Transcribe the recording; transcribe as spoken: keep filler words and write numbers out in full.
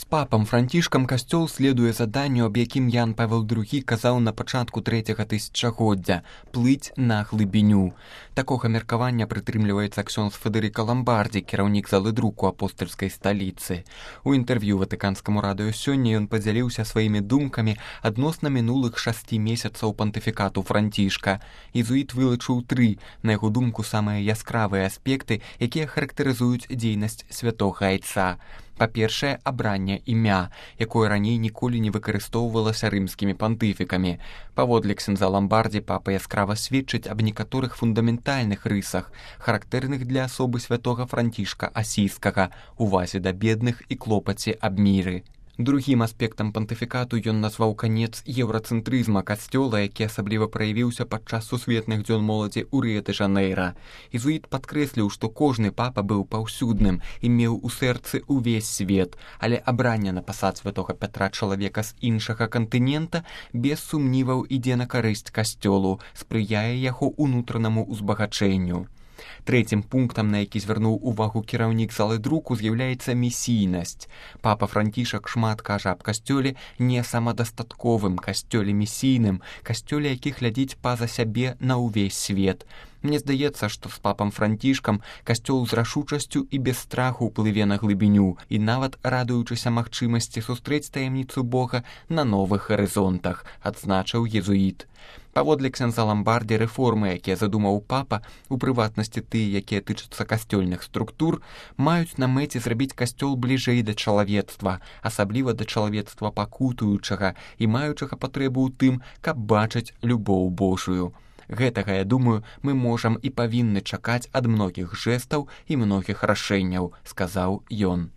Папам Францішкам касцёл следуе заданню, аб якім Ян Павел другі казаў на пачатку трэцяга тысячагоддзя – плыць на глыбіню. Такога меркавання прытрымліваецца ксёндз Федэрыка Ламбардзі, кіраўнік залы друку апостальскай сталіцы. У інтэрв'ю Ватыканскаму радыё сёння ён падзяліўся сваімі думкамі адносна мінулых шасці месяцаў пантыфікату Францішка. Езуіт вылучыў тры, на яго думку, самыя яскравыя аспекты, якія характарызуюць дзейнасць святога айца. Па-першае, абранне імя, якое раней ніколі не выкарыстоўвалася рымскімі пантыфікамі. Паводле ксяндза Ламбардзі папа яскрава сведчыць аб некаторых фундаментальных рысах, характэрных для асобы святога Францішка Асійскага, увазе да бедных і клопаце аб міры. Другім аспектам пантыфікату ён назваў канец еўрацэнтрызма касцёла, які асабліва праявіўся падчас сусветных дзён моладзі ў Рыё-дэ-Жанэйра. Езуіт падкрэсліў, што кожны папа быў паўсюдным і меў у сэрцы ўвесь свет, але абранне на пасад святога Пятра чалавека з іншага кантынента без сумніваў ідзе на карысць касцёлу, спрыяе яго ўнутранаму ўзбагачэнню. Трэцім пунктам, на які звярнуў увагу кіраўнік залы друку, з'яўляецца місійнасць. Папа Францішак шмат кажа аб касцёле не самадастатковым, касцёле місійным, касцёле, які глядзіць па-за сябе на ўвесь свет. Мне здаецца, што з папам Францішкам касцёл з рашучасцю і без страху плыве на глыбіню і нават радуючыся магчымасці сустрэць таямніцу Бога на новых гарызонтах, адзначыў езуіт. Паводле ксяндза Ламбардзі рэформы, якія задумаў папа, у прыватнасці тыя, якія тычацца касцёльных структур, маюць на мэце зрабіць касцёл бліжэй да чалавецтва, асабліва да чалавецтва пакутуючага і маючага патрэбу ў тым, каб бачыць любоў Божую. Гэтага, я думаю, мы можам і павінны чакаць ад многіх жэстаў і многіх рашэнняў, сказаў ён.